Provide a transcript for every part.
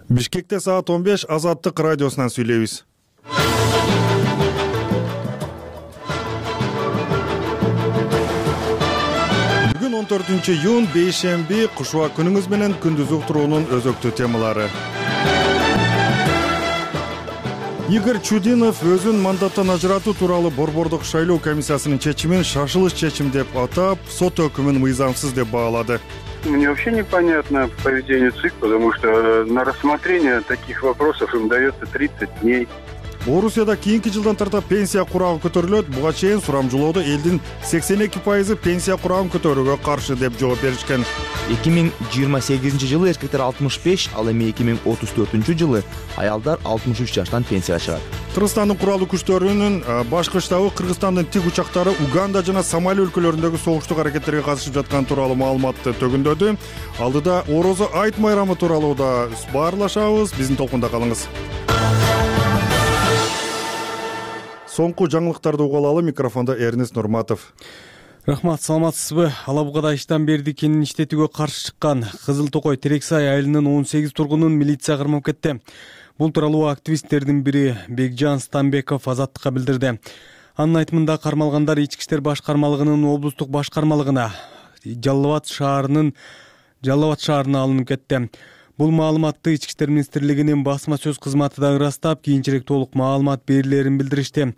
Бишкекте саат 15 Азаттык радиосунан сүйлөйбүз. Бүгүн 14-июнь бейшемби, кушуа күнүңүз менен күндүз уктуруунун өзөктүү темалары. Игорь Чудинов өзүн мандаттан ажыратуу тууралуу Борбордук шайлоо комиссиясынын чечимин шашылыш чечим деп атап, сот өкүмүн мыйзамсыз деп баалады. Мне вообще непонятно поведение ЦИК, потому что на рассмотрение таких вопросов им дается 30 дней. Орусияда кийинки жылдан тартап пенсия курагы көтөрүлөт. Буга чейин сурамжылоодо элдин 82% пенсия курагын көтөрүүгө каршы деп жооп беришкен. 2028-жылы эркектер 65, ал эми 2034-жылы аялдар 63 жаштан пенсияга чыгат. Кыргызстандын куралдуу күчтөрүнүн башкы штабы Кыргызстандын тик учактары Уганда жана Сомали өлкөлөрүндөгү согуштук аракеттерге катышып жаткан тууралуу маалыматты төгүндөдү. Алдыда Орозо айт майрамы тууралуу да баарлашабыз. Биздин толкунда калыңыз. Соңку жаңылыктарды угуп алалы. Микрофондо Эрнест Нурматов. Рахмат, саламатсызбы? Ала Бугада иштен берди кенин иштетүүгө каршы чыккан Кызыл Токой Терексай айылынын 18 тургунун милиция кырмап кетти. Бул тууралуу активисттердин бири Бекжан Станбеков Азаттыкка билдирди. Анын айтымында кармалгандар Ички иштер башкармалыгынын облустук башкармалыгына Жалал Абад шаарына алынып кетти. Бул маалыматты Ички иштер министрлигинин басма сөз кызматы да ырастап, кийинчерээк толук маалымат берилерин билдиришти.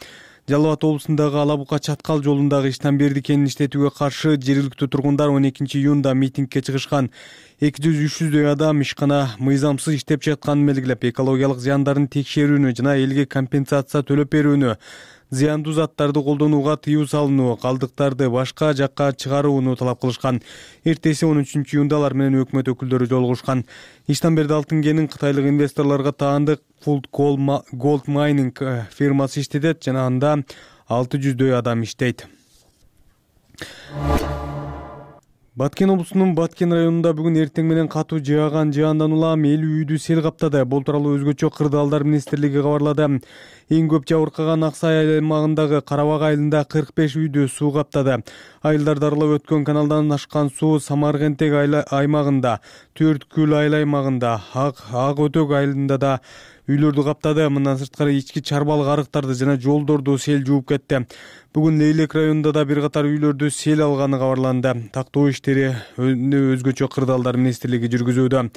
Жалал Абад облусундагы Ала Буга Чаткал жолундагы иштен берди кенин иштетүүгө каршы жергиликтүү тургундар 12-июнда митингге чыгышкан. 200-300дөй адам ишкана мыйзамсыз иштеп жатканын белгилеп, экологиялык зыяндарын текшерүүнү жана элге компенсация төлөп берүүнү, зыяндуу заттарды колдонууга тыюу салынуу, калдыктарды башка жакка чыгарууну талап кылышкан. Эртеси 13-июнда алар менен өкмөт өкүлдөрү жолугушкан. Иштен берди алтын кенин кытайлык инвесторлорго таандык Food Gold Mining фирмасы иштетет жана анда 600дөй адам иштейт. Баткен облусунун Баткен районунда бүгүн эртең менен катуу жааган жаандан улам 50 үйдү сел каптады. Бул тууралуу өзгөчө Кырдаалдар министрлиги кабарлады. Эң көп жабыркаган Аксай аймагындагы Карабак айылында 45 үйдү суу каптады. Айылдар дарылап өткөн каналдан ашкан суу Самаркентек аймагында, Төрткүл айыл аймагында, Ак Өтөк айылында да үйлөрдү каптады. Мындан сырткары ички чарбалык арыктарды жана жолдорду сел жууп кетти. Бүгүн Лейлек районунда да бир катар үйлөрдү сел алганы кабарланды. Тактоо иштери өзгөчө Кырдаалдар министрлиги жүргүзүүдө.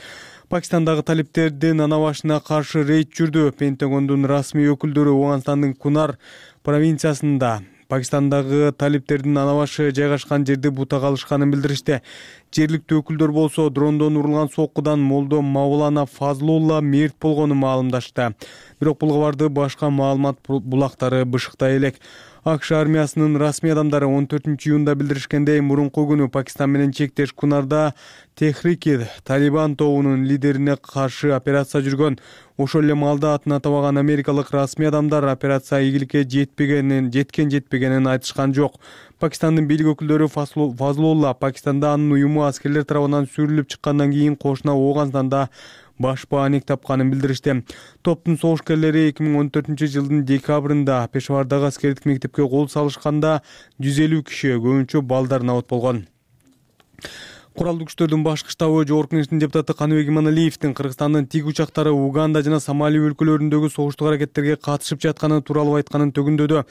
Пакистандагы талиптердин ана башына каршы рейд жүрдү. Пентагондун расмий өкүлдөрү Афганистандын Кунар провинциясында Пакистандагы талиптердин ана башы жайгашкан жерди бутага алышканын билдиришти. Жергиликтүү өкүлдөр болсо дрондон урулган соккудан Молдо Мавлана Фазлулла мерт болгонун маалымдашты. Бирок бул кабарды башка маалымат булактары бышыктай элек. АКШ армиясынын расмий адамдары 14-июнда билдиришкендей, мурунку күнү Пакистан менен чектеш Кунарда Техрики Талибан тобунун лидерине каршы операция жүргөн. Ошол эле маалда атын атабаган америкалык расмий адамдар операция ийгиликке жетпегенин айтышкан жок. Пакистандын бийлик өкүлдөрү Фазлулла Пакистанда анын уюму аскерлер тарабынан сүрүлүп чыккандан кийин кошуна Афганистанда баш бааник тапканын билдиришти. Топтун согушкерлери 2014-жылдын декабрында Пешавардагы аскердик мектепке кол салышканда 150 киши, көбүнчө балдар набат болгон. Куралдуу күчтөрдүн башкы штабы Жогорку Кеңештин депутаты Каныбек Иманалиевдин Кыргызстандын тиг учактары Уганда жана Сомали өлкөлөрүндөгү согуштук аракеттерге катышып жатканы тууралуу айтканын төгүндөдү.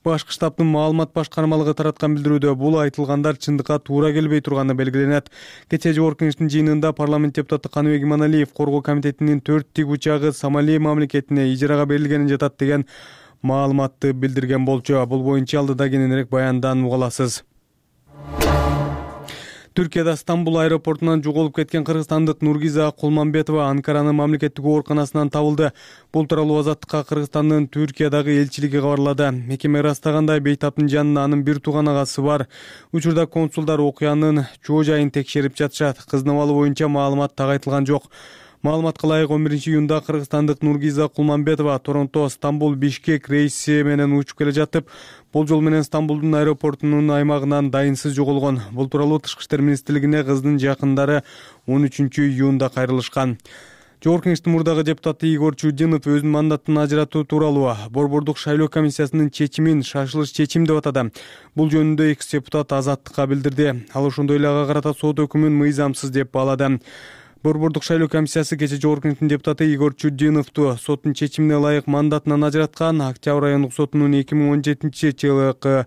Башкы штабтын маалымат башкармалыгы тараткан билдирүүдө бул айтылгандар чындыкка туура келбей турганы белгиленет. Кечээ Жогорку Кеңештин жыйынында парламент депутаты Каныбек Иманалиев Коргоо комитетинин 4 тиг учагы Сомали мамлекетине ижарага берилгенин жатат деген маалыматты билдирген болчу. Бул боюнча алдыда кененирээк баяндан уга аласыз. Түркияда Стамбул аэропортунан жоголуп кеткен кыргызстандык Нургиза Кулманбетова Анкаранын мамлекеттик ооруканасынан табылды. Бул тууралуу Азаттыкка Кыргызстандын Түркиядагы элчилиги кабарлады. Мекеме ырастагандай, бейтаптын жанында анын бир тууган агасы бар. Учурда консулдар окуянын чоо жайын текшерип жатышат. Кыздын абалы боюнча маалымат так айтылган жок. Маалыматка ылайык 11-июнда кыргызстандык Нургиза Кулманбетова Торонто, Стамбул, Бишкек рейси менен учуп келе жатып, болжол менен Стамбулдун аэропортунун аймагынан дайынсыз жоголгон. Бул тууралуу Тышкы иштер министрлигине кыздын жакындары 13-июнда кайрылышкан. Жогорку Кеңештин мурдагы депутаты Игорь Чудинов өзүнүн мандаттан ажыратуу тууралуу Борбордук шайлоо комиссиясынын чечимин шашылыш чечим деп атады. Бул жөнүндө экс депутат Азаттыкка билдирди. Ал ошондой эле ага карата сот өкүмүн мыйзамсыз деп баалады. Борбордук шайлоо комиссиясы кечээ Жогорку Кеңештин депутаты Игорь Чудиновду соттун чечимине ылайык мандатынан ажыраткан. Октябрь райондук сотунун 2017-жылкы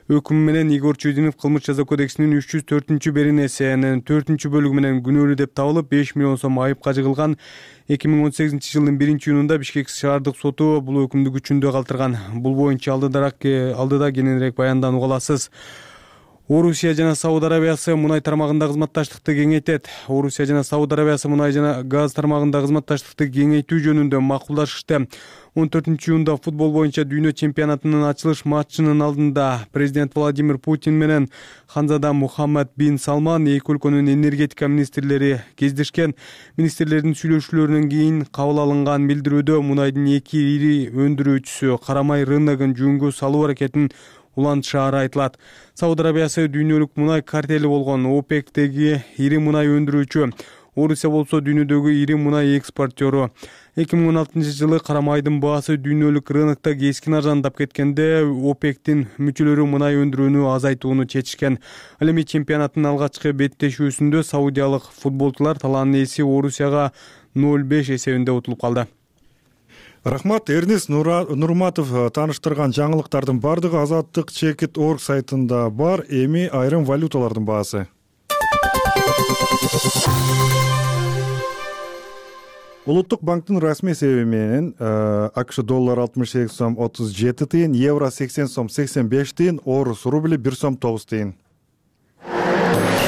өкүмү менен Игорь Чудинов кылмыш жаза кодексинин 304-беренесинин 4-бөлүгү менен күнөөлүү деп табылып 5 миллион сом айыпка жыгылган. 2018-жылдын 1-июнунда Бишкек шаардык соту бул өкүмдү күчүндө калтырган. Бул боюнча алдыда кененирээк баянданууга аласыз. Орусия жана Сауд Арабиясы мунай тармагында кызматташтыкты кеңейтет. Орусия жана Сауд Арабиясы мунай жана газ тармагында кызматташтыкты кеңейтүү жөнүндө макулдашышты. 14-июнда футбол боюнча дүйнө чемпионатынын ачылыш матчынын алдында президент Владимир Путин менен Ханзада Мухаммад бин Салман эки өлкөнүн энергетика министрлери кездешкен. Министрлердин сүйлөшүүлөрүнөн кийин кабыл алынган билдирүүдө мунайдын эки ири өндүрүүчүсү карамай рыногун жөнгө салуу аракетин улантышаары айтылат. Сауд Арабиясы дүйнөлүк мунай картели болгон ОПЕКтеги ири мунай өндүрүүчү. Орусия болсо дүйнөдөгү ири мунай экспортёру. 2016-жылы карамайдын баасы дүйнөлүк рынокто кескин арзандап кеткенде ОПЕКтин мүчөлөрү мунай өндүрүүнү азайтууну чечишкен. Ал эми чемпионаттын алгачкы беттешүүсүндө саудиялык футболчулар талаанын ээси Орусияга 0-5 эсебинде утулуп калды. Рахмат. Эрнис Нурматов тааныштырган жаңылыктардын бардыгы Азаттык.org сайтында бар. Эми айрым валюталардын баасы. Улуттук банктын расмий эсеби менен АКШ доллар 68 сом 37 тыйын, евро 80 сом 85 тыйын, орус рубли 1 сом 9 тыйын.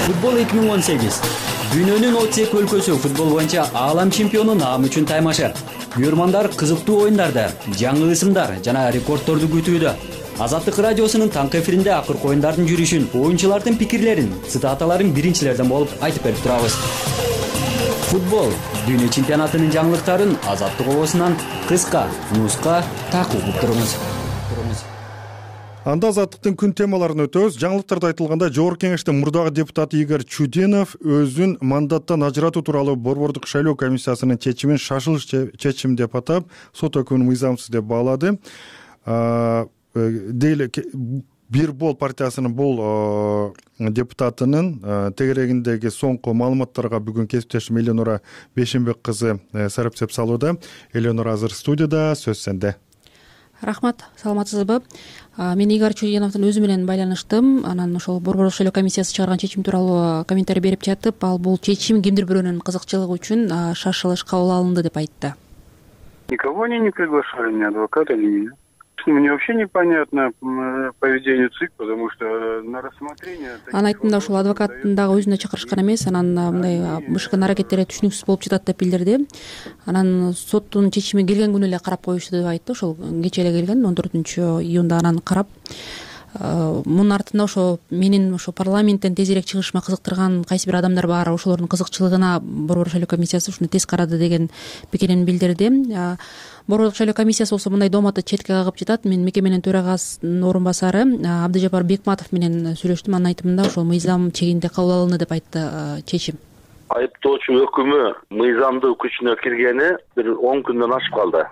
Футбол 2018. Дүйнөнүн 32 өлкөсү футбол боюнча аалам чемпиону наамы үчүн таймашы. Күйөрмандар кызыктуу оюндарды, жаңы ысымдар жана рекордторду күтүүдө. Азаттык радиосунун таңкы эфиринде акыркы оюндардын жүрүшүн, оюнчулардын пикирлерин, цитаталарын биринчилерден болуп айтып берип турабыз. Футбол дүйнө чемпионатынын жаңылыктарын Азаттык обосунан кыска, нуска такып туруңуз. Анда Азаттыктын күн темаларын өтөбүз. Жаңылыктарда айтылганда Жогорку Кеңештин мурдагы депутаты Игорь Чудинов өзүн мандаттан ажыратуу тууралуу Борбордук шайлоо комиссиясынын чечимин шашылыш чечим деп атап, сот өкүмүн мыйзамсыз деп баалады. Бир бол партиясынын бул депутатынын тегерегиндеги соңку маалыматтарга бүгүн кесиптешим Эленора Бешимбек кызы сарапчылык салууда. Эленора азыр студияда, сөз сенде. Рахмат, саламатсызбы? Мен Игорь Чудиновдун өзү менен байланыштым. Анан ошол Борбордук шайлоо комиссиясы чыгарган чечим тууралуу комментарий берип жатып, ал бул чечим кимдир бирөөнүн кызыкчылыгы үчүн шашылыш кабыл алынды деп айтты. Никого они не приглашали, ни адвоката, ни меня. Мне вообще непонятно поведение ЦИК, потому что на рассмотрение... Анын айтымында ошол адвокаттын дагы өзүнө чакырышкан эмес, анан мындай БШКнын аракеттери түшүнүксүз болуп жатат деп билдирди. Анан соттун чечими келген күнү эле карап коюшту деп айтты. Ошол кечээ эле келген 14-июнда анан карап. Мунун артында ошо менин ошо парламенттен тезирээк чыгышыма кызыктырган кайсы бир адамдар бар, ошолордун кызыкчылыгына Борбордук шайлоо комиссиясы ушуну тез карады деген пикирин билдирди. Борбордук шайлоо комиссиясы болсо мындай дооматты четке кагып жатат. Мен мекеменин төрагасынын орун басары Абдыжапар Бекматов менен сүйлөштүм. Анын айтымында ошол мыйзам чегинде кабыл алынды деп айтты чечим. Айыптоочу өкүмү мыйзамдуу күчүнө киргени бир 10 күндөн ашып калды.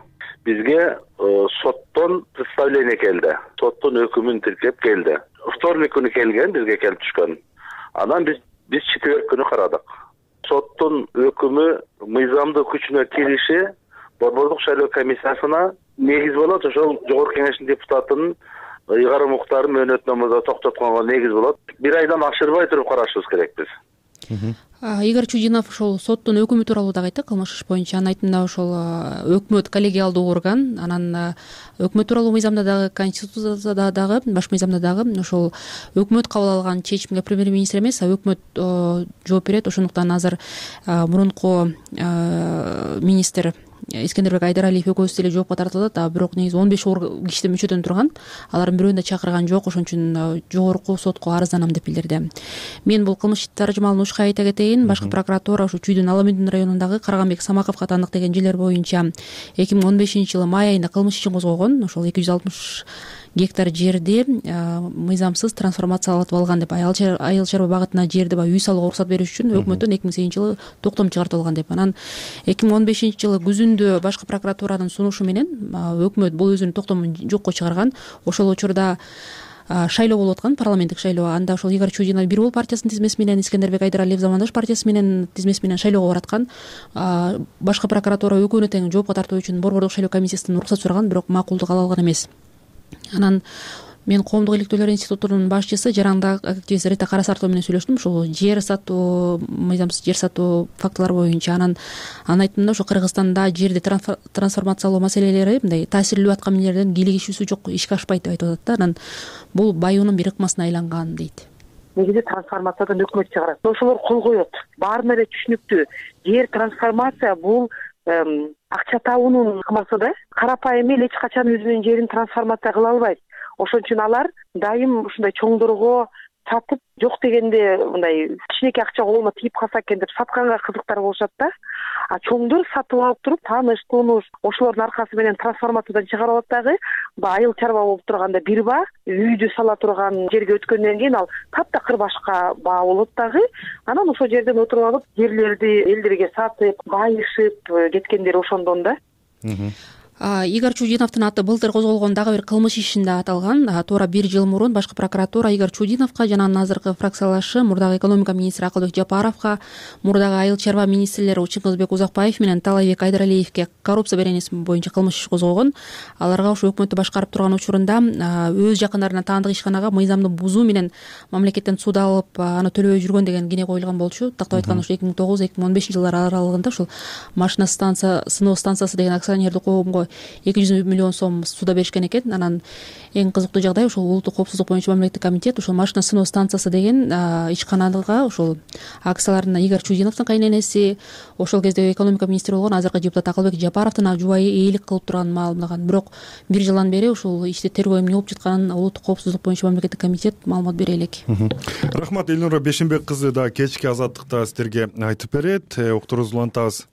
Бизге соттон представление келди. Соттун өкүмүн тиркеп келди. Вторник күнү келген, бизге келип түшкөн. Анан биз четверг күнү карадык. Соттун өкүмү мыйзамдуу күчүнө кириши Борбордук шайлоо комиссиясына негиз болот. Ошол Жогорку Кеңештин депутатынын ыйгарым укуктарын мөөнөтномада токтотконго негиз болот. Бир айдан ашырбай туруп карашыбыз керек биз. Игорь Чудинов ошол соттун өкүмү тууралуу дагы айтты, кылмыш иш боюнча. Анын айтымында ошол өкмөт коллегиалдуу орган, анан өкмөт тууралуу мыйзамда дагы, конституцияда дагы, баш мыйзамда дагы ошол өкмөт кабыл алган чечимге премьер-министр эмес, өкмөт жооп берет. Ошондуктан азыр мурунку министр Искендербек Айдаралиев экөөбүз деле жоопко тартылат, бирок негизи 15 кишиден мүчөдөн турган. Алардын бирөөнү да чакырган жок, ошон үчүн жогорку сотко арызданам деп билдирди. Мен бул кылмыш таржымалын ушка айта кетейин. Башкы прокуратура ушу Чүйдүн Аламүндүн районундагы Карганбек Самаковго тандык деген жерлер боюнча 2015-жылы май айында кылмыш ишин козгогон. Ошол 260 гектар жерди мыйзамсыз трансформациялатып алган деп, айыл чарба багытына жерди үй салууга уруксат бериш үчүн өкмөттөн 2008-жылы токтом чыгартып алган деп. Анан 2015-жылы күзүндө башкы прокуратуранын сунушу менен өкмөт бул өзүнүн токтомун жокко чыгарган. Ошол учурда шайлоо болуп аткан, парламенттик шайлоо. Анда ошол Игорь Чудинов Бир Ул партиясынын тизмеси менен, Искендербек Айдаралиев Замандаш партиясы менен тизмеси менен шайлоого бараткан. Башкы прокуратура экөөнү тең жоопко тартуу үчүн борбордук шайлоо комиссиясынан уруксат сураган, бирок макулдук ала алган эмес. Анан мен Коомдук иликтөөлөр институтунун башчысы Жараңда активист Рита Карасартова менен сүйлөштүм, ушул жер сатуу, мыйзамсыз жер сатуу фактылар боюнча. Анан айтымында ошо Кыргызстанда жерди трансформациялоо маселелери мындай таасирлүү аткан милдерден кийлигишүүсү жок, ишке ашпайт деп айтып атат да. Анан бул баюунун бир ыкмасына айланган дейт. Негизи трансформациядан өкмөт чыгарат. Ошолор кол коет. Баарына эле түшүнүктүү. Жер трансформация бул акча табуунун ыкмасы да. Карапайым эл эч качан өзүнүн жерин трансформация кыла албайт. Ошон үчүн алар дайым ушундай чоңдорго сатып, жок дегенде мындай кичинекей акча колуна тийип калса экен деп сатканга кызыктар болушат да. А чоңдор сатып алып туруп, тааныш, тунуш ошолордун аркасы менен трансформациядан чыгарып алат дагы. Айыл чарба болуп турганда бир баа, үйдү сала турган жерге өткөндөн кийин ал таптакыр башка баа болот дагы. Анан ошол жерден отуруп алып, жерлерди элдерге сатып, байышып кеткендер ошондон да. Игорь Чудиновдун аты былтыр козголгон дагы бир кылмыш ишинде аталган. Туура 1 жыл мурун башкы прокуратура Игорь Чудиновго жана анын азыркы фракциялашы мурдагы экономика министри Акылбек Жапаровго, мурдагы айыл чарба министрлери Чыңгызбек Узакбаев менен Таалайбек Айдаралиевге коррупция беренеси боюнча кылмыш иш козгогон. Аларга ошо өкмөттү башкарып турган учурунда өз жакындарына таандык ишканага мыйзамды бузуу менен мамлекеттен суд алып, аны төлөбөй жүргөн деген кине коюлган болчу. Тактап айтканда ошо 2009-2015 жылдар аралыгында ушул машина сыноо станциясы деген акционердик коомго 200 миллион сом суда беришкен экен. Анан эң кызыктуу жагдай ушул улуттук коопсуздук боюнча мамлекеттик комитет ушул машина сыноо станциясы деген ишканага ушул акцияларына Игорь Чудиновдун кайненеси, ошол кезде экономика министри болгон азыркы депутат Акылбек Жапаровдун жубайы ээлик кылып турганын маалымдаган. Бирок 1 жылдан бери ушул иште тергөө эмне болуп жатканын улуттук коопсуздук боюнча мамлекеттик комитет маалымат бере элек. Рахмат. Элнура Бешенбек кызы да кечки азаттыкта сиздерге айтып берет. Уктуруубузду улантабыз.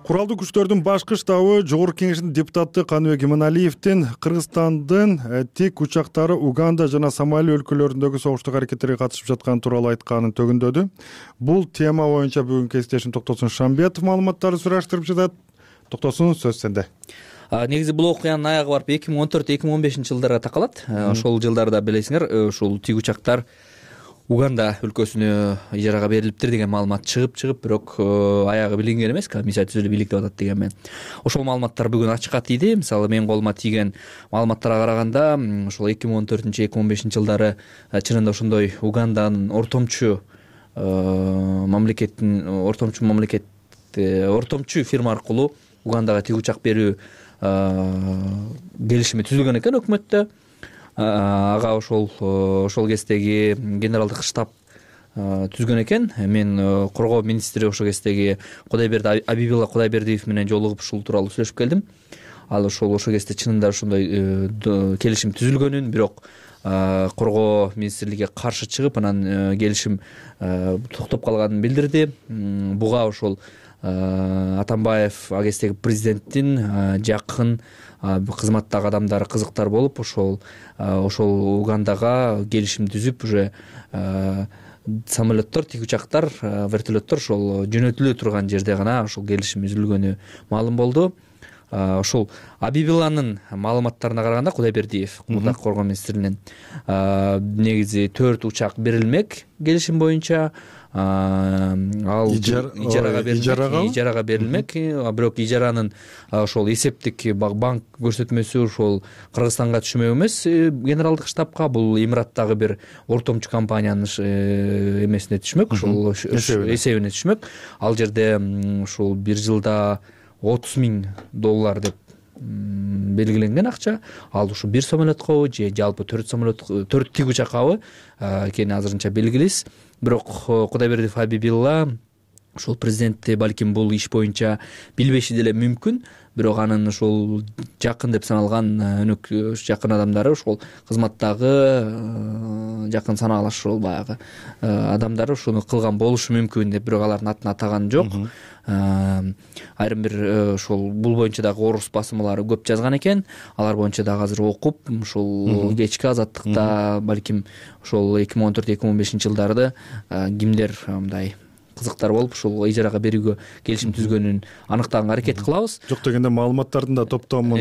Куралдуу күчтөрдүн башкы штабы Жогорку Кеңештин депутаты Каныбек Иманалиевдин Кыргызстандын тик учактары Уганда жана Сомали өлкөлөрүндөгү согуштук аракеттерге катышып жатканы тууралуу айтканын төгүндөдү. Бул тема боюнча бүгүнкү кесиптешим Токтосун Шамбетов маалыматтарды сураштырып жатат. Токтосун, сөз сенде. Негизи бул окуянын аягы барып 2014-2015 жылдарга такалат. Ошол жылдарда билесиңер, ушул тик учактар Уганда өлкөсүнө ижарага берилиптир деген маалымат чыгып, бирок аягы билинген эмес, комиссия түзүлүп бийликтеп атат деген мен. Ошол маалыматтар бүгүн ачыкка тийди. Мисалы, менин колума тийген маалыматтарга караганда, ошол 2014-2015 жылдары чынында ошондой Уганданын ортомчу фирма аркылуу Угандага тик учак берүү келишими түзүлгөн экен өкмөттө. Ага ошол кездеги генералдык штаб түзгөн экен. Мен коргоо министри ошол кездеги Абибилла Кудайбердиев менен жолугуп ушул тууралуу сүйлөшүп келдим. Ал ошол кезде чынында ошондой келишим түзүлгөнүн, бирок коргоо министрлиги каршы чыгып, анан келишим токтоп калганын билдирди. Буга ошол Атамбаев ал кездеги президенттин жакын кызматтагы адамдары кызыктар болуп, ошол Угандага келишим түзүп, уже самолеттор, тик учактар, вертолеттор ошол жөнөтүлө турган жерде гана ошол келишим үзүлгөнү маалым болду. Ошол Абибилланын маалыматтарына караганда, Кудайбердиев, мурдак коргоо министринин, негизи 4 учак берилмек келишим боюнча. Ал ижарага берилмек, бирок ижаранын ошол эсептик банк көрсөтмөсү ошол Кыргызстанга түшмөк эмес, генералдык штабка. Бул Эмираттагы бир ортомчу компаниянын эмесине түшмөк, ошол эсебине түшмөк. Ал жерде ушул 1 жылда $30,000 деп белгиленген акча. Ал ушу 1 самолеткабы же жалпы 4 самолет, 4 тик учаккабы экени азырынча белгилис. Бирок Кудайбердиев Абибилла ошол президентти балким бул иш боюнча билбеши деле мүмкүн, бирок анын ошол жакын деп саналган жакын адамдары, ошол кызматтагы жакын санаалаш ошол баягы адамдары ушуну кылган болушу мүмкүн деп, бирок алардын атын атаган жок. Айрым бир ошол бул боюнча дагы орус басымалары көп жазган экен. Алар боюнча дагы азыр окуп, ушул кечки азаттыкта балким ошол 2014-2015 жылдарды кимдер мындай кызыктар болуп ушул ижарага берүүгө келишим түзгөнүн аныктаганга аракет кылабыз. Жок дегенде маалыматтардын да топтомун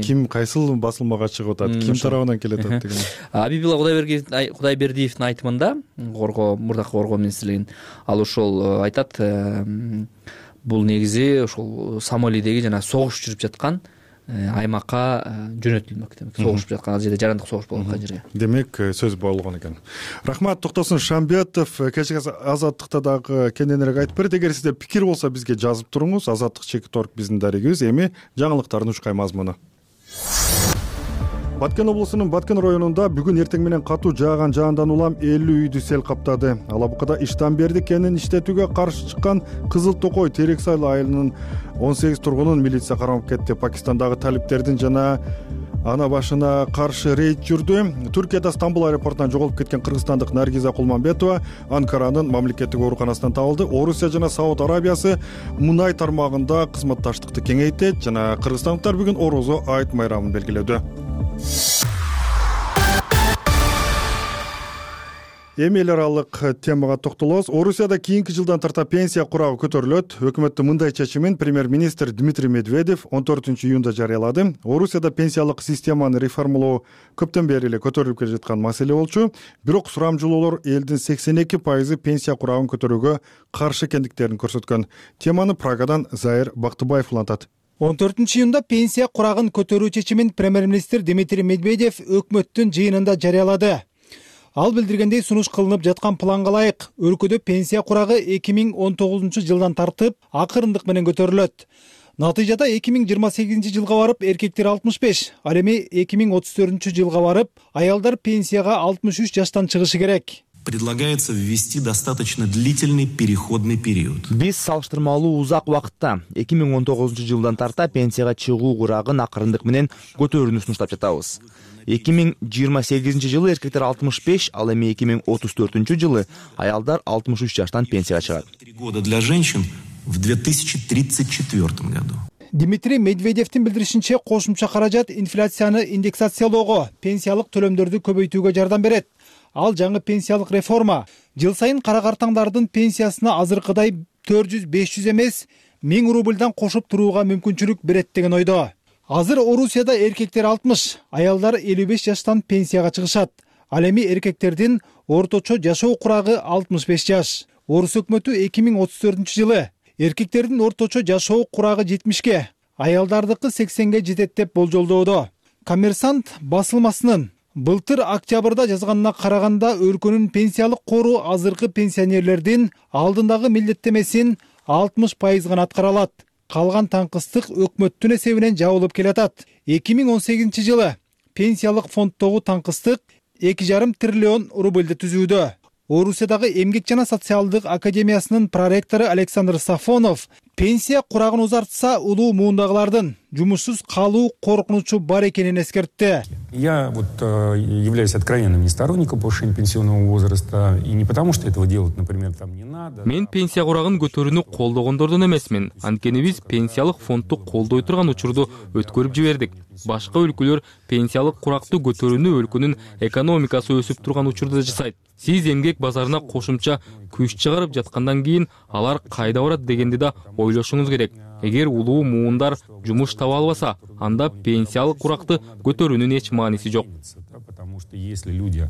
ким кайсыл басылмага чыгып атат, ким тарабынан келет деген. Абибилла Кудайбердиевдин айтымында мурдакы коргоо министрлигинин ал ошол айтат, бул негизи ошол Сомалидеги жана согуш жүрүп жаткан аймакка жөнөтүлмөк, демек согуш жаткан ал жерде жарандык согуш болуп аткан жерге. Демек сөз болгон экен. Рахмат Токтосун Шамбетов, кечээ Азаттыкта дагы кененирээк айтып берет. Эгер сизде пикир болсо бизге жазып туруңуз. Азаттык.org биздин дарегибиз. Эми жаңылыктардын учкай мазмуну. Баткен облусунун Баткен районунда бүгүн эртең менен катуу жааган жаандан улам 50 үйдү сел каптады. Алабукада иштан берди кенин иштетүүгө каршы чыккан Кызыл Токой Терексай айылынын 18 тургунун милиция кармап кетти. Пакистандагы талиптердин жана ана башына каршы рейд жүрдү. Түркияда Стамбул аэропортунан жоголуп кеткен кыргызстандык Наргиза Кулманбетова Анкаранын мамлекеттик ооруканасынан табылды. Орусия жана Сауд Арабиясы мунай тармагында кызматташтыкты кеңейтет жана кыргызстандыктар бүгүн Орозо айт майрамын белгиледи. Эми эл аралык темага токтолобуз. Орусияда кийинки жылдан тарта пенсия курагы көтөрүлөт. Өкмөттүн мындай чечимин премьер-министр Дмитрий Медведев 14-июнда жарыялады. Орусияда пенсиялык системаны реформалоо көптөн бери эле көтөрүлүп келе жаткан маселе болчу. Бирок сурамжылоолор элдин 82% пенсия курагын көтөрүүгө каршы экендиктерин көрсөткөн. Теманы Прагадан Заир Бактыбаев улантат. 14-июнда пенсия курагын көтөрүү чечимин премьер-министр Дмитрий Медведев өкмөттүн жыйынында жарыялады. Ал билдиргендей, сунуш кылынып жаткан планга ылайык өлкөдө пенсия курагы 2019 жылдан тартып акырындык менен көтөрүлөт. Натыйжада 2028 жылга барып эркектер 65, ал эми 2034 жылга барып аялдар пенсияга 63 жаштан чыгышы керек. Предлагается ввести достаточно длительный переходный период. Биз салыштырмалуу узак убакытта 2019 жылдан тарта пенсияга чыгуу курагын акырындык менен көтөрүүнү сунуштап жатабыз. 2028 жылы эркектер 65, ал эми 2034 жылы аялдар 63 жаштан пенсияга чыгат. 3 года для женщин в 2034 году. Дмитрий Медведевдин билдиришинче, кошумча каражат инфляцияны индексациялоого, пенсиялык төлөмдөрдү көбөйтүүгө жардам берет. Ал жаңы пенсиялык реформа жыл сайын кара картаңдардын пенсиясына азыркыдай 400-500 эмес 1000 рубльдан кошуп турууга мүмкүнчүлүк берет деген ойдо. Азыр Орусияда эркектер 60, аялдар 55 жаштан пенсияга чыгышат. Ал эми эркектердин орточо жашоо курагы 65 жаш. Орус өкмөтү 2034 жылы эркектердин орточо жашоо курагы 70ге, аялдардыкы 80ге жетет деп болжолдоодо. Коммерсант басылмасынын былтыр октябрда жазганына караганда өлкөнүн пенсиялык кору азыркы пенсионерлердин алдындагы милдеттемесин 60% гана аткара алат. Калган таңкыстык өкмөттүн эсебинен жабылып келатат. 2018 жылы пенсиялык фонддогу таңкыстык 2,5 триллион рубльди түзүүдө. Орусиядагы Эмгек жана социалдык академиясынын проректору Александр Сафонов пенсия курагын узартса улуу муундагылардын жумушсуз калуу коркунучу бар экенин эскертти. Я являюсь откровенным не сторонником повышения пенсионного возраста, и не потому, что этого делать, например, там не надо. Мен пенсия курагын көтөрүүнү колдогондордон эмесмин. Анткени биз пенсиялык фондду колдой турган учурду өткөрүп жибердик. Башка өлкөлөр пенсиялык куракты көтөрүүнү өлкөнүн экономикасы өсүп турган учурда жасайт. Сиз эмгек базарына кошумча күч чыгарып жаткандан кийин алар кайда барат дегенди да ойлошуңуз керек. Эгер улуу муундар жумуш таба албаса, анда пенсиялык куракты көтөрүүнүн эч мааниси жок. Потому что если люди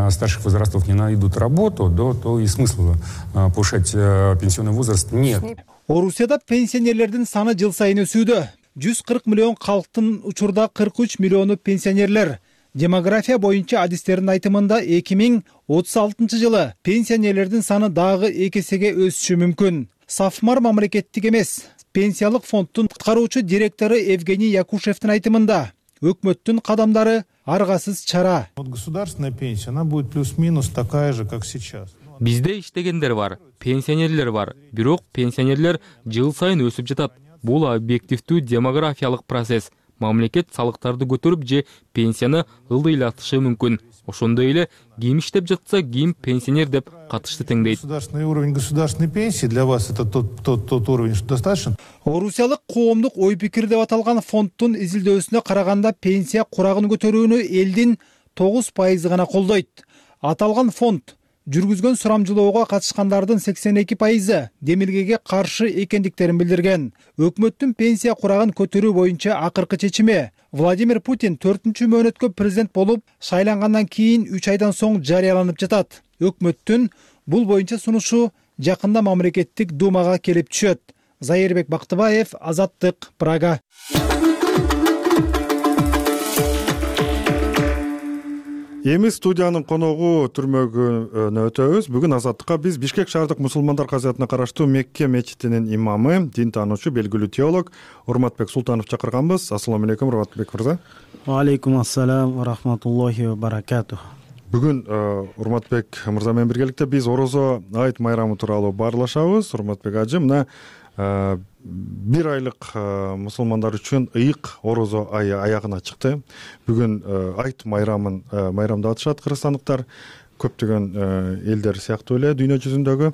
старших возрастов не найдут работу, то и смысла повышать пенсионный возраст нет. Орусияда пенсионерлердин саны жыл сайын өсүүдө. 140 миллион калктын учурда 43 миллиону пенсионерлер. Демография боюнча адистердин айтымында 2036 жылы пенсионерлердин саны дагы 2 эсеге өсүшү мүмкүн. Сафмар мамлекеттик эмес пенсиялык фонддун аткаруучу директору Евгений Якушевдин айтымында өкмөттүн кадамдары аргасыз чара. Государственная пенсия, она будет плюс-минус такая же, как сейчас. Бизде иштегендер бар, пенсионерлер бар, бирок пенсионерлер жыл сайын өсүп жатат. Бул объективдүү демографиялык процесс. Мамлекет салыктарды көтөрүп же пенсияны ылдыйлатышы мүмкүн. Ошондой эле ким иштеп жатса, ким пенсионер деп катышты теңдейт. Государственный уровень государственной пенсии для вас это тот уровень, что достаточно. Орусиялык коомдук ой пикир деп аталган фонддун изилдөөсүнө караганда пенсия курагын көтөрүүнү элдин 9% гана колдойт. Аталган фонд жүргүзгөн сурамжылоого катышкандардын 82% демилгеге каршы экендиктерин билдирген. Өкмөттүн пенсия курагын көтөрүү боюнча акыркы чечими Владимир Путин 4-чү мөөнөткө президент болуп шайлангандан кийин 3 айдан соң жарыяланып жатат. Өкмөттүн бул боюнча сунушу жакында мамлекеттик думага келип түшөт. Зайырбек Бактыбаев, Азаттык, Прага. Эми студиянын коногу түрмөгүнө өтөбүз. Бүгүн Азаттыкка биз Бишкек шаардык мусулмандар казиятына караштуу Мекке мечитинин имамы, дин таануучу, белгилүү теолог Урматбек Султанов чакырганбыз. Ассаламу алейкум, Урматбек мырза. Алейкум ассалам ва рахматуллахи ва баракатух. Бүгүн Урматбек мырза менен биргеликте биз Орозо айт майрамы тууралуу баарлашабыз. Урматбек ажы, мына бир айлык мусулмандар үчүн ыйык Орозо айы аягына чыкты. Бүгүн айт майрамын майрамдап атышат кыргызстандыктар, көптөгөн элдер сыяктуу эле дүйнө жүзүндөгү.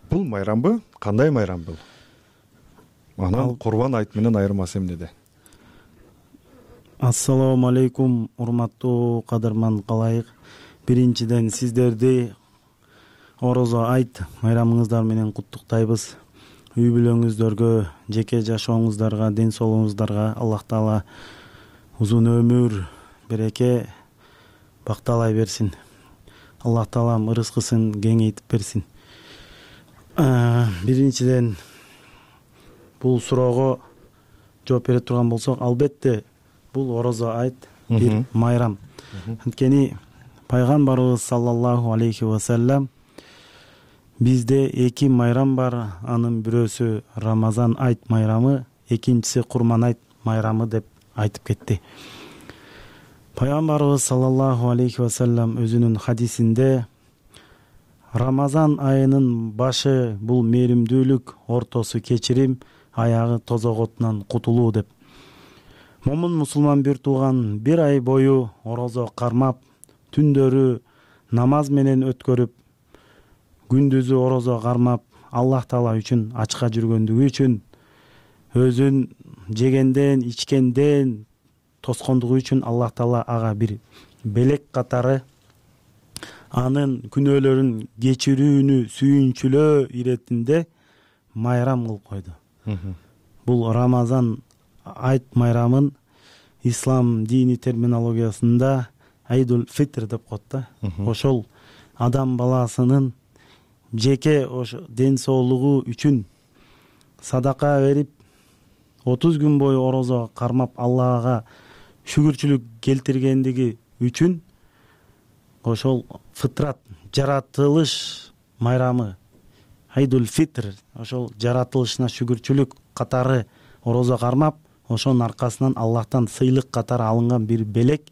Бул майрамбы? Кандай майрам бул? Анан Курбан айт менен айырмасы эмнеде? Ассаламу алейкум, урматтуу кадырман калайык. Биринчиден сиздерди Орозо айт майрамыңыздар менен куттуктайбыз. Үй бүлөңүздөргө, жеке жашооңуздарга, ден соолугуңуздарга Аллах Таала узун өмүр, береке бакталай берсин. Аллах Таалам ырыскысын кеңейтип берсин. Биринчиден бул суроого жооп бере турган болсок, албетте бул Орозо айт бир майрам. Анткени пайгамбарыбыз саллаллаху алейхи ва саллям бизде эки майрам бар, анын бирөөсү Рамазан айт майрамы, экинчиси Курман айт майрамы деп айтып кетти. Пайгамбарыбыз саллаллаху алейхи ва саллям өзүнүн хадисинде Рамазан айынын башы бул мээримдүүлүк, ортосу кечирим, аягы тозоготунан кутулуу деп. Момун мусулман бир тууган бир ай бою орозо кармап, түндөрү намаз менен өткөрүп, күндүзү орозо кармап, Аллах Таала үчүн ачка жүргөндүгү үчүн, өзүн жегенден, ичкенден тоскондугу үчүн Аллах Таала ага бир белек катары анын күнөөлөрүн кечирүүнү сүйүнчүлөө иретинде майрам кылып койду. Бул Рамазан айт майрамын ислам дини терминологиясында Айдул Фитр деп коет да. Ошол адам баласынын жеке ошо ден соолугу үчүн садака берип 30 күн бою орозо кармап Аллага шүгүрчүлүк келтиргендиги үчүн ошол фитрат, жаратылыш майрамы Айдул Фитр, ошол жаратылышына шүгүрчүлүк катары орозо кармап, ошонун аркасынан Аллахтан сыйлык катары алынган бир белек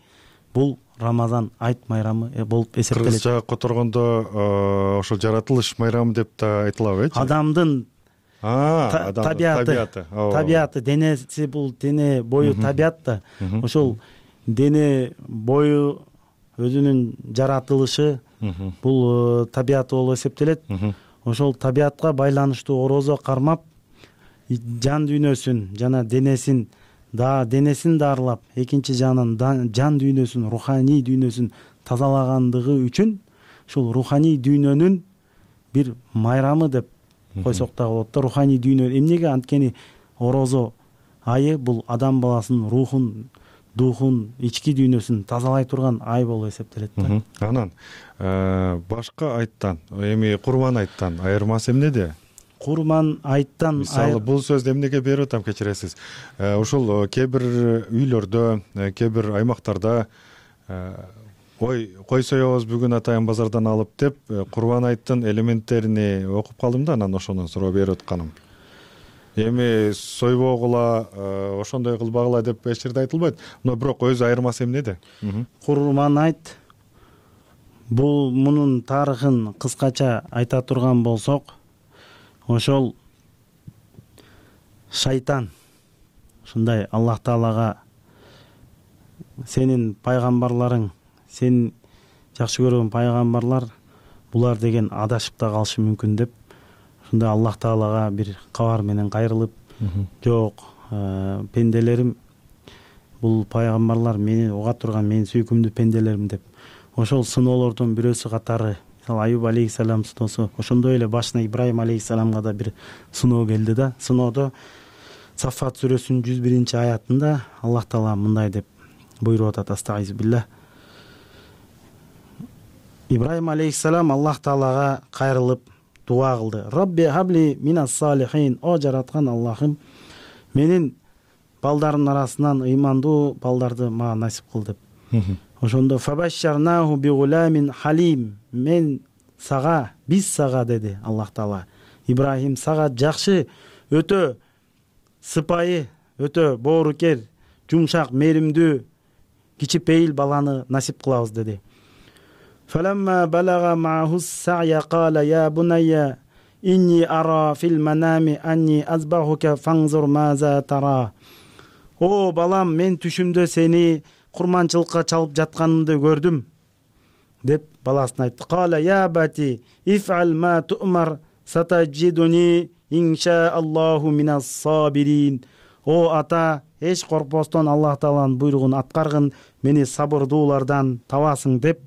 бул Рамазан айт майрамы болуп эсептелет. Кыргызча которгондо ошол жаратылыш майрамы деп да айтылабы, Адамдын табияты, денеси бул дене бою табият да. Ошол дене бою өзүнүн жаратылышы бул табияты болуп эсептелет. Ошол табиятка байланыштуу орозо кармап, жан дүйнөсүн жана денесин дарылап, экинчи жагынан жан дүйнөсүн, руханий дүйнөсүн тазалагандыгы үчүн ушул руханий дүйнөнүн бир майрамы деп койсок да болот да. Руханий дүйнө эмнеге? Анткени орозо айы бул адам баласынын рухун, духун, ички дүйнөсүн тазалай турган ай болуп эсептелет да. Анан башка айттан, эми Курман айттан айырмасы эмнеде? Курман айттан мисалы бул сөздү эмнеге берип атам, кечиресиз. Ушул кээ бир үйлөрдө, кээ бир аймактарда кой соебуз бүгүн атайын базардан алып деп Курбан айттын элементтерини окуп калдым да, анан ошондон суроо берип атканым. Эми сойбогула, ошондой кылбагыла деп эч жерде айтылбайт. Но бирок өзү айырмасы эмнеде? Курман айт бул мунун тарыхын кыскача айта турган болсок, ошол шайтан ушундай Аллах Таалага сенин пайгамбарларың, сен жакшы көргөн пайгамбарлар булар деген адашып да калышы мүмкүн деп ушундай Аллах Таалага бир кабар менен кайрылып, жок, пенделерим, бул пайгамбарлар мени уга турган менин сүйкүмдүү пенделерим деп ошол сыноолордун бирөөсү катары Аюб алейхисалам суноосу, ошондой эле башына Ибрайым алейхисаламга да бир сыноо келди да. Сыноодо Саффат сүрөсүнүн 101-аятында Аллах Таала мындай деп буйруп атат: Астагизбилlah. Ибрайым алейхисалам Аллах Таалага кайрылып дуа кылды. Рабби хабли минас салихин. О жараткан Аллахым, менин балдардын арасынан ыймандуу балдарды мага насип кыл деп. Ошондо фабашшарнаху бигуламин халим. Биз сага деди Аллах Таала, Ибрахим сага жакшы, өтө сыпайы, өтө боорукер, жумшак, мээримдүү, кичипейил баланы насип кылабыз деди. فلما بلغ معه السعي قال يا بني إني أرى في المنام أني أذبحك فانظر ماذا ترى. О балам, мен түшүмдө сени курманчылыкка чалып жатканыңды көрдүм деп баласына айтты. Кала я бати иф'ал ма ту'мар сатаджидуни иншааллаху минас сабирин. О ата, эч коркпостон Аллах Тааланын буйругун аткаргын, мени сабырдуулардан табасың деп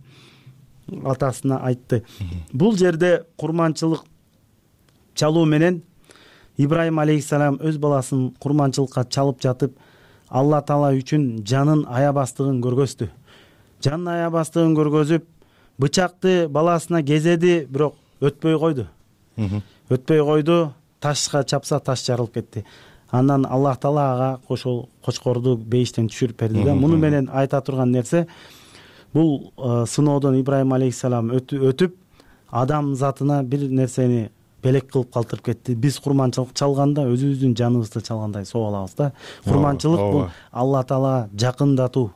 атасына айтты. Бул жерде курманчылык чалуу менен Ибрайым алейхисалам өз баласын курманчылыкка чалып жатып, Алла Таала үчүн жанын аябастыгын көргөздү. Жанын аябастыгын көргөзүп, бычакты баласына кезеди, бирок өтпөй койду. Өтпөй койду, ташка чапса таш жарылып кетти. Андан Аллах Таала ага кочкорду бейиштен түшүрүп берди да. Муну менен айта турган нерсе, бул сыноодон Ибрайым алейхисалам өтүп, адам затына бир нерсени белек кылып калтырып кетти. Биз курманчылык чалганда өзүбүздүн жаныбызды чалгандай соо алабыз да. Курманчылык бул Алла Таала жакындатуу.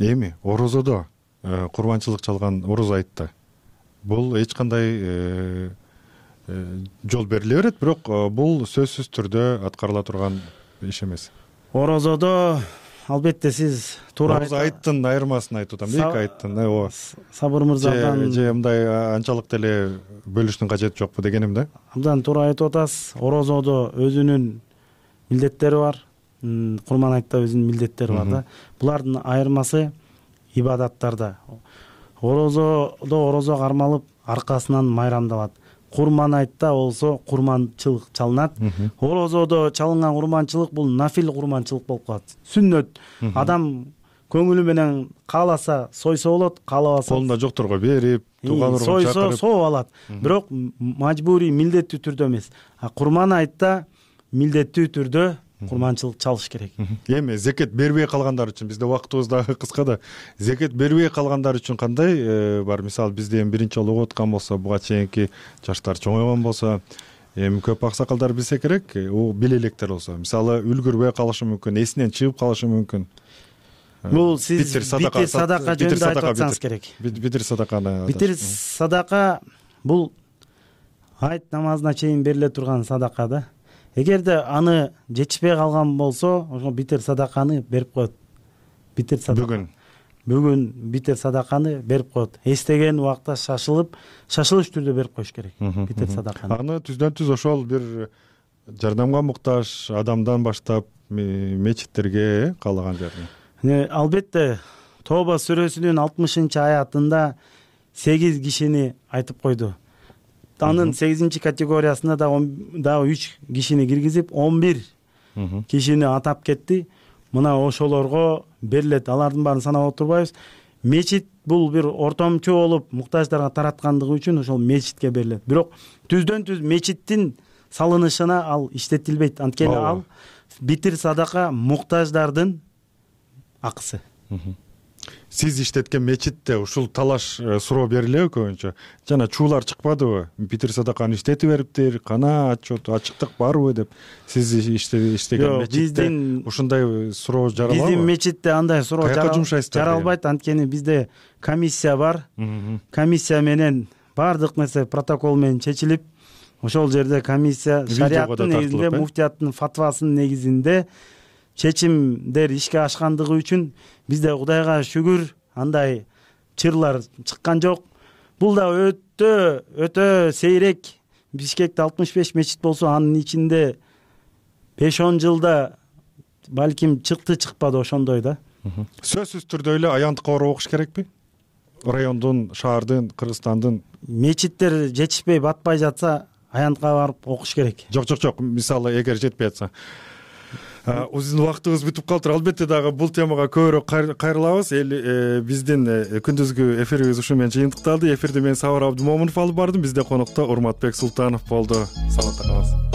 Эми орозодо курманчылык чалган ороз айтты. Бул эч кандай жол бериле берет, бирок бул сөзсүз түрдө аткарыла турган иш эмес. Орозодо албетте сиз туура айттын айырмасын айтып атам. Эки айттын. Сабыр мырзадан же мындай анчалык деле бөлүштүн кажети жокпу дегеним да. Абдан туура айтып атасыз. Орозодо өзүнүн милдеттери бар. Курман айтта өзүнүн милдеттери бар да. Булардын айырмасы ибадаттарда. Орозодо орозо кармалып, аркасынан майрамдалат. Курман айтта болсо курманчылык чалынат. Орозодо чалынган курманчылык бул нафил курманчылык болуп калат. Сүннөт. Адам көңүлү менен кааласа сойсо болот, каалабаса колунда жокторго берип, тууган ургун чакырып соо алат. Бирок мажбурий, милдеттүү түрдө эмес. Курман айтта милдеттүү түрдө курманчылык чалыш керек. Эми зекет бербей калгандар үчүн, бизде убактыбыз дагы кыска да, зекет бербей калгандар үчүн кандай бар? Мисалы бизде эми биринчи жолу окуп аткан болсо, буга чейинки жаштар чоңойгон болсо, эми көп аксакалдар билсе керек, биле электер болсо, мисалы үлгүрбөй калышы мүмкүн, эсинен чыгып калышы мүмкүн. Бул сиз битир садака жөнүндө айтып атсаңыз керек. Битир садаканы. Битир садака бул айт намазына чейин бериле турган садака да. Эгерде аны жетишпей калган болсо, ошо битир садаканы берип коет. Битир садака. Бүгүн битир садаканы берип коет. Эстеген убакта шашылыш түрдө берип коюш керек битир садаканы. Аны түздөн-түз ошол бир жардамга муктаж адамдан баштап мечиттерге каалаган жерде. Албетте Тоба сүрөсүнүн 60-аятында 8 кишини айтып койду. Анын 8-категориясына дагы 3 кишини киргизип, 11 кишини атап кетти. Мына ошолорго берилет. Алардын баарын санап отурбайбыз. Мечит бул бир ортомчу болуп муктаждарга тараткандыгы үчүн ошол мечитке берилет. Бирок түздөн-түз мечиттин салынышына ал иштетилбейт. Анткени ал битир садака муктаждардын акысы. Сиз иштеткен мечитте ушул талаш суроо берилеби көбүнчө? Жана чуулар чыкпадыбы? Битир садаканы иштетип бериптир, кана отчет, ачыктык барбы деп. Сиз иштеген мечитте ушундай суроо жаралабы? Биздин мечитте андай суроо жаралбайт, анткени бизде комиссия бар. Комиссия менен баардык нерсе протокол менен чечилип, ошол жерде комиссия шариаттын негизинде, муфтияттын фатвасынын негизинде чечимдер ишке ашкандыгы үчүн бизде Кудайга шүгүр андай чырлар чыккан жок. Бул да өтө сейрек. Бишкекте 65 мечит болсо, анын ичинде 5-10 жылда балким чыкпады ошондой да. Сөзсүз түрдө эле аянтка барып окуш керекпи? Райондун, шаардын, Кыргызстандын мечиттер жетишпей батпай жатса аянтка барып окуш керек. Жок, мисалы эгер жетпей жатса. Биздин убактыбыз бүтүп калыптыр. Албетте дагы бул темага көбүрөөк кайрылабыз. Биздин күндүзгү эфирибиз ушу менен жыйынтыкталды. Эфирди мен Сабыр Абдымомунов алып бардым. Бизде конокто Урматбек Султанов болду. Саламатта калыңыз.